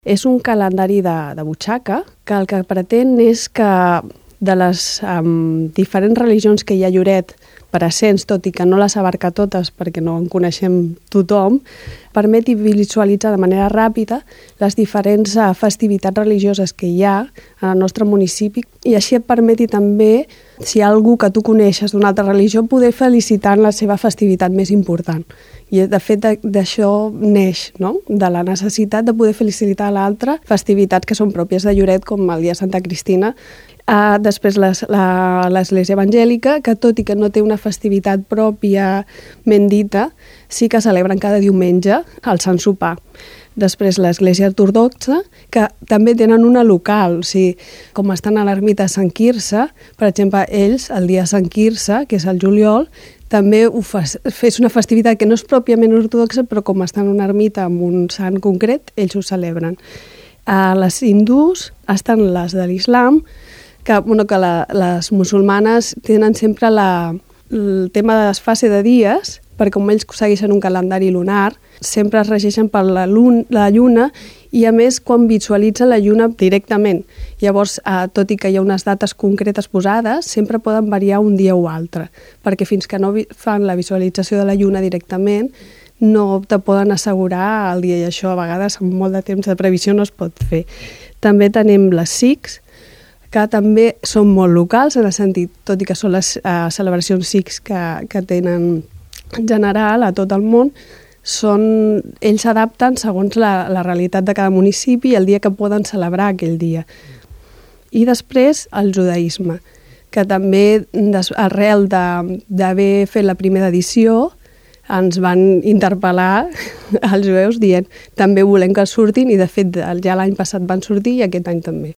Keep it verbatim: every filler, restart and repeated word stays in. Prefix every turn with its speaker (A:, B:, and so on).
A: És un calendari de, de butxaca que el que pretén és que de les um, diferents religions que hi ha a Lloret, per ascens, tot i que no les abarca totes perquè no en coneixem tothom, permeti visualitzar de manera ràpida les diferents uh, festivitats religioses que hi ha en el nostre municipi i així et permeti també, si hi ha algú que tu coneixes d'una altra religió, poder felicitar en la seva festivitat més important. I de fet d'això neix, no? De la necessitat de poder felicitar a l'altre festivitats que són pròpies de Lloret, com el dia de Santa Cristina. Uh, després l'Església Evangèlica, que tot i que no té una festivitat pròpiament dita, sí que celebren cada diumenge el Sant Sopar. Després l'Església Ortodoxa, que també tenen una local, o sigui, com estan a l'ermita de Sant Quirze, per exemple, ells, el dia de Sant Quirze, que és el juliol, també ho fa, és una festivitat que no és pròpiament ortodoxa, però com estan en una ermita amb un sant concret, ells ho celebren. A les hindús estan les de l'islam, que, bueno, que la, les musulmanes tenen sempre la, el tema de desfase de dies, perquè com ells segueixen un calendari lunar, sempre es regeixen per la, lun, la lluna i a més quan visualitzen la lluna directament. Llavors, eh, tot i que hi ha unes dates concretes posades, sempre poden variar un dia o altre, perquè fins que no fan la visualització de la lluna directament, no te poden assegurar el dia i això a vegades amb molt de temps de previsió no es pot fer. També tenim les Sikhs, que també són molt locals, en el sentit, tot i que són les uh, celebracions Sikhs que, que tenen en general a tot el món, són, ells s'adapten segons la, la realitat de cada municipi i el dia que poden celebrar aquell dia. I després el judaïsme, que també des, arrel d'haver fet la primera edició ens van interpel·lar als jueus dient també volem que surtin i de fet ja l'any passat van sortir i aquest any també.